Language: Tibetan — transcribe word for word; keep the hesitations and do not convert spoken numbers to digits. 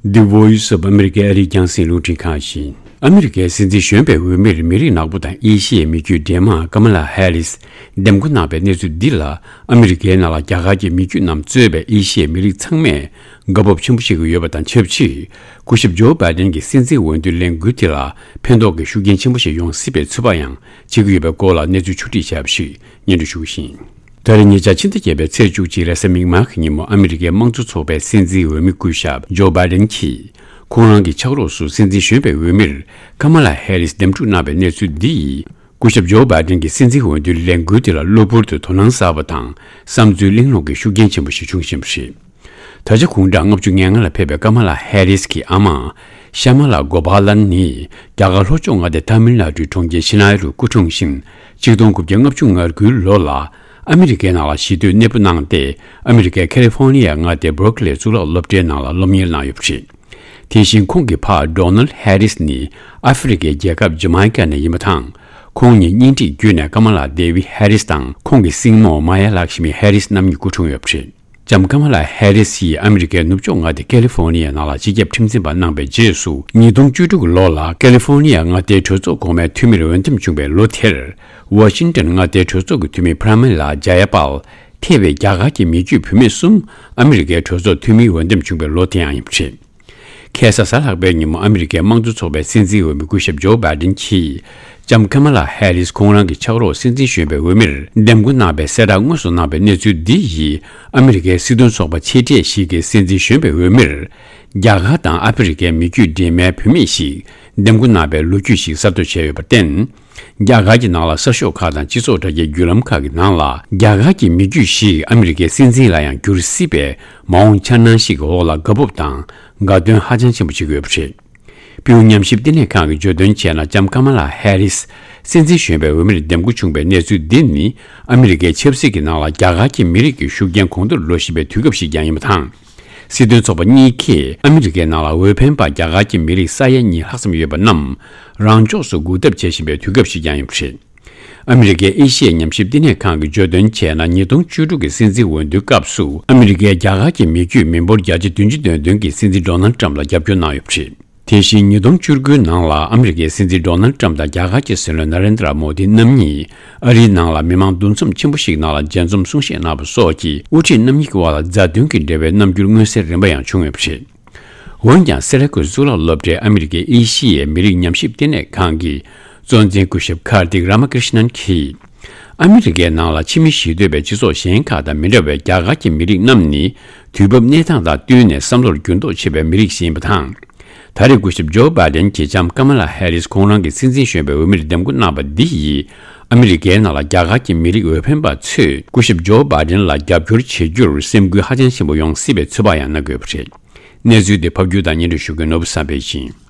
The Voice of America ཨ་རིའི་རྒྱང་སྲིང་རླུང་འཕྲིན་ཁང་ཡིན། ཨ་མི་རི་ཀའི་སྲིད་འཛིན་གཞོན་པའི་འོས་མིར་མི་རིགས་ནག་པོ་དང་ཨེ་ཤི་ཡའི་མི་རྒྱུད་འདྲེས་མ་ཀ་མ་ལ་ཧེ་རིས་འདེམས་བསྐོ་གནང་བའི་གནས་ཚུལ་འདི་ལ། ཨ་མི་རི་ཀའི་ནང་ལ་རྒྱ་གར་གྱི་མི་རྒྱུད་རྣམས་གཙོས་པའི་ཨེ་ཤི་ཡའི་མི་རིགས་ཚང་མས་དགའ་སྤོབས་ཆེན་པོ་བྱེད་ཀྱི་ཡོད་པ་དང་ཆབས་ཅིག་སྐུ་ཞབས་ཇོ་བྷའི་ཌེན་གྱི་སྲིད་འཛིན་འོས་བསྡུའི་ལས་འགུལ་དེ་ལ་ཕན་ཐོགས་ཀྱི་ཤུགས་རྐྱེན་ཆེན་པོ་ཞིག་ཡོང་སྲིད་པའི་ཚོད་དཔག་ཡང་བྱེད་ཀྱི་ཡོད་པའི་སྐོར་ལ་གནས་ཚུལ་ཕྱོགས་སྒྲིག་བྱས་པ་ཞིག་སྙན་སྒྲོན་ཞུ་གི་ཡིན། ད་རེས་ཉེ་ཆར་ཕྱི་ཟླ་བརྒྱད་པའི་ཚེས་བཅུ་གཅིག་རེས་གཟའ་མིག་དམར་གྱི་ཉིན་མོ་ཨ་མི་རི་ཀའི་དམངས་གཙོ་ཚོགས་པའི་སྲིད་འཛིན་འོས་མི་སྐུ་ཞབས་ཇོ་བྷའི་ཌེན་གྱིས་ཁོང་རང་གི་ཕྱག་རོགས་སུ་སྲིད་འཛིན་གཞོན་པའི་འོས་མིར་ཀ་མ་ལ་ཧེ་རིས་འདེམས་སྒྲུག་གནང་བའི་གནས་ཚུལ་འདི་ཡིས། སྐུ་ཞབས་ཇོ་བྷའི་ཌེན་གྱི་སྲིད་འཛིན་འོས་བསྡུའི་ལས་འགུལ་དེ་ལ་གློ་བུར་དུ་དོ་སྣང་གསར་པ་དང་བསམ་ཚུལ་གླེང་སློང་གི་ཤུགས་རྐྱེན་ཆེན་པོ་ཞིག་བྱུང་བཞིན་པ་རེད། ད་ཆ་དགུང་གྲངས་ལྔ་བཅུ་ང་ལྔ་ལ་ཕེབས་པའི་ཀ་མ་ལ་ཧེ་རིས་ཀྱི་ཨ་མ་ཤ་མ་ལ་གོ་པཱ་ལན་ནི་རྒྱ་གར་ལྷོ་ཕྱོགས་མངའ་སྡེ་ཐ་མིལ་ནཱ་ཌུའི་གྲོང་ཁྱེར་ཤི་ན་ཡ་རུ་སྐུ་འཁྲུངས་ཤིང་། ཆིག་སྟོང་དགུ་བརྒྱ་ལྔ་བཅུ་ང་དགུའི་ལོ་ལ་ཨ་མི་རི་ཀའི་ནང་ལ་གཞིས་སྡོད་གནས་སྤོ་གནང་སྟེ། ཨ་མི་རི་ཀའི་ཁ་ལི་ཧྥོ་ནི་ཡ་མངའ་སྡེའི་སྦར་ཀི་ལེ་གཙུག་ལག་སློབ་གྲྭའི་ནང་ལ་སློབ་གཉེར་གནང་ཡོད་པ་རེད། དེ་བཞིན་ཁོང་གི་ཕ་ཌོ་ནལ་ཧེ་རིས་ནི་ཨ་ཧྥེ་རི་ཁའི་རྒྱལ་ཁབ་ཇ་མའི་ཀ་ནས་ཡིན་པ་དང་། ཁོང་གཉིས་གཉེན་སྒྲིག་བརྒྱུད་ནས་ཀ་མ་ལ་དེ་བི་ཧེ་རིས་དང་ཁོང་གི་སྲིང་མོ་མ་ཡ་ལག་ཤི་མི་ཧེ་རིས་རྣམ་གཉིས་སྐུ་འཁྲུངས་ཡོད་པ་རེད། ལྕམ་ཀ་མ་ལ་ཧེ་རིས་ཡིས་ཨ་མི་རི་ཀའི་ནུབ་ཕྱོགས་མངའ་སྡེ་ཀ་ལི་ཧྥོ་ནི་ཡའི་ནང་ལ་སྤྱི་ཁྱབ་ཁྲིམས་འཛིན་པ་གནང་བའི་རྗེས་སུ། ཉིས་སྟོང་བཅུ་དྲུག་གི་ལོ་ལ་ཀ་ལི་ཧྥོ་ནི་ཡ་མངའ་སྡེའི་གྲོས་ཚོགས་གོང་མའི་འཐུས་མིར་འོས་འདེམས་བྱུང་བའི་ལོ་དེར། ཝ་ཤིང་ཏོན་མངའ་སྡེའི་གྲོས་ཚོགས་ཀྱི་འཐུས་མི་པྲ་མི་ལ་ཇ་ཡ་པཱལ་ཐེ་བའི་རྒྱ་གར་གྱི་མི་རྒྱུད་བུད་མེད་གསུམ་ཨ་མི་རི་ཀའི་གྲོས་ཚོགས་འཐུས་མིའི་འོས་འདེམས་བྱུང་བའི་ལོ་དེ་ཡང་ཡིན་པ་རེད། ཁ་སང་གཟའ་ལྷག་པའི་ཉིན་མོ་ཨ་མི་རི་ཀའི་དམངས་གཙོ་ཚོགས་པའི་སྲིད་འཛིན་འོས་མི་སྐུ་ཞབས་ཇོ་བྷའི་ཌེན་གྱིས་ལྕམ་ཀ་མ་ལ་ཧེ་རིས་ཁོང་རང་གི་ཕྱག་རོགས་སྲིད་འཛིན་གཞོན་པའི་འོས་མིར་འདེམས་བསྐོ་གནང་བའི་གསལ་བསྒྲགས་དངོས་སུ་གནང་བའི་གནས་ཚུལ་འདི་ཡིས་ཨ་མི་རི་ཀའི་སྲིད་དོན་ཚོགས་པ་ཆེ་གྲས་ཤིག་གིས་སྲིད་འཛིན་གཞོན་པའི་འོས་མིར་རྒྱ་གར་དང་ཨ་ཧྥེ་རི་ཁའི་མི་རྒྱུད་འདྲེས་མའི་བུད་མེད་ཞིག་འདེམས་བསྐོ་གནང་བའི་ལོ་རྒྱུས་ཤིག་གསར་གཏོད་བྱས་ཡོད་པར་བརྟེན། རྒྱ་གར་གྱི་ནང་ལ་གསར་ཤོག་ཁག་དང་སྤྱི་ཚོགས་དྲ་རྒྱའི་བརྒྱུད་ལམ་ཁག་གི་ནང་ལ་རྒྱ་གར་གྱི་མི་རྒྱུད་ཞིག་ཨ་མི་རི་ཀའི་སྲིད་འཛིན་ལ་ཡང་འགྱུར་སྲིད་པའི་མ་འོངས་འཆར་སྣང་ཞིག་གི་འོག་ལ་དགའ་སྤོབས་དང་དགའ་སྟོན་ཧ་ཅང་ཆེན་པོ་བྱེད་ཀྱི་ཡོད་པ་རེད། པིའུ་ཉམས་ཞིབ་བསྟི་གནས་ཁང་གིས་བརྗོད་དོན་བྱས་ན། ལྕམ་ཀ་མ་ལ་ཧེ་རིས་སྲིད་འཛིན་གཞོན་པའི་འོས་མིར་འདེམས་བསྐོ་བྱུང་བའི་གནས་ཚུལ་འདི་ནི་ཨ་མི་རི་ཀའི་ཆབ་སྲིད་ཀྱི་ནང་ལ་རྒྱ་གར་གྱི་མི་རིགས་ཀྱི་ཤུགས་རྐྱེན་གོང་མཐོར་འགྲོ་བཞིན་པའི་དུས་སྐབས་ཤིག་ཀྱང་ཡིན་པ་དང་། སྲིད་དོན་ཚོགས་པ་གཉིས་ཀས་ཨ་མི་རི་ཀའི་ནང་ལ་འོས་འཕེན་པ་རྒྱ་གར་གྱི་མི་རིགས་ས་ཡ་གཉིས་ལྷག་ཙམ་ཡོད་པ་རྣམས་རང་ཕྱོགས་སུ་འགུག་ཐབས་བྱེད་བཞིན་པའི་དུས་སྐབས་ཤིག་ཀྱང་ཡིན་པ་རེད། ཨ་མི་རི་ཀའི་ཨེ་ཤི་ཡའི་ཉམས་ཞིབ་བསྟི་གནས་ཁང་གིས་བརྗོད་དོན་བྱས་ན། ཉིས་སྟོང་བཅུ་དྲུག་གི་སྲིད་འཛིན་འོས་བསྡུའི་སྐབས་སུ་ཨ་མི་རི་ཀའི་རྒྱ་གར་གྱི་མི་རྒྱུད་མི་འབོར་བརྒྱ་ཆ་བདུན་ཅུ་དོན་བདུན་གྱིས་སྲིད་འཛིན་ཌོ་ནལ་ཏྲམ་ལ་རྒྱབ་སྐྱོར་གནང་ཡོད་པ་རེད། དེ་བཞིན་ཉིས་སྟོང་བཅུ་དགུའི་ནང་ལ་ཨ་མི་རི་ཀའི་སྲིད་འཛིན་ཌོ་ནལ་ཏྲམ་དང་རྒྱ་གར་གྱི་སྲིད་བློན་ན་རེན་དྲ་མོ་དི་རྣམ་གཉིས་ཨ་རིའི་ནང་ལ་མི་མང་འདུ་འཛོམས་ཆེན་པོ་ཞིག་ནང་ལ་མཇལ་འཛོམས་གསུང་བཤད་གནང་བ་སོགས་ཀྱིས་དབུ་ཁྲིད་རྣམ་གཉིས་ཀྱི་དབར་ལ་མཛའ་མཐུན་གྱི་འབྲེལ་བའི་རྣམ་འགྱུར་མངོན་གསལ་རིམ་པ་ཡང་བྱུང་ཡོད་པ་རེད། འོན་ཀྱང་སེ་ར་ཀོས་གཙུག་ལག་སློབ་གྲྭའི་ཨ་མི་རི་ཀའི་ཨེ་ཤི་ཡའི་མི་རིགས་ཉམས་ཞིབ་བསྟི་གནས་ཁང་གི་གཙོ་འཛིན་སྐུ་ཞབས་ཀར་ཏིག་ར་མ་ཀྲིཤ་ནན་གྱིས། ཨ་མི་རི་ཀའི་ནང་ལ་ཕྱི་མི་གཞིས་སྡོད་པའི་སྤྱི་ཚོགས་གཞན་ཁག་དང་མི་འདྲ་བའི་རྒྱ་གར་གྱི་མི་རིགས་རྣམས་ནི། དུས་བབ་གནས་སྟངས་དང་བསྟུན་ནས་བསམ་བློར་འགྱུར་ལྡོག་ཆེ་བའི་མི་རིགས་ཤིག་ཡིན་པ་དང་། ད་རེས་སྐུ་ཞབས་ཇོ་བྷའི་ཌེན་གྱིས་ལྕམ་ཀ་མ་ལ་ཧེ་རིས་ཁོང་རང་གི་སྲིད་འཛིན་གཞོན་པའི་འོས་མིར་འདེམས་བསྐོ་གནང་བ་འདི་ཡིས། ཨ་མི་རི་ཀའི་ནང་ལ་རྒྱ་གར་གྱི་མི་རིགས་འོས་འཕེན་པ་ཚོས་སྐུ་ཞབས་ཇོ་བྷའི་ཌེན་ལ་རྒྱབ་སྐྱོར་བྱེད་རྒྱུར་སེམས་འགུལ་ཧ་ཅང་ཆེན་པོ་ཡོང་སྲིད་པའི་ཚོད་དཔག་ཡང་གནང་དགོས་པ་རེད། གནས་ཚུལ་འདི་ཕབ་སྒྱུར་དང་སྙན་སྒྲོན་ཞུ་མཁན་ནོར་བུ་བསམ་འཕེལ་ཡིན།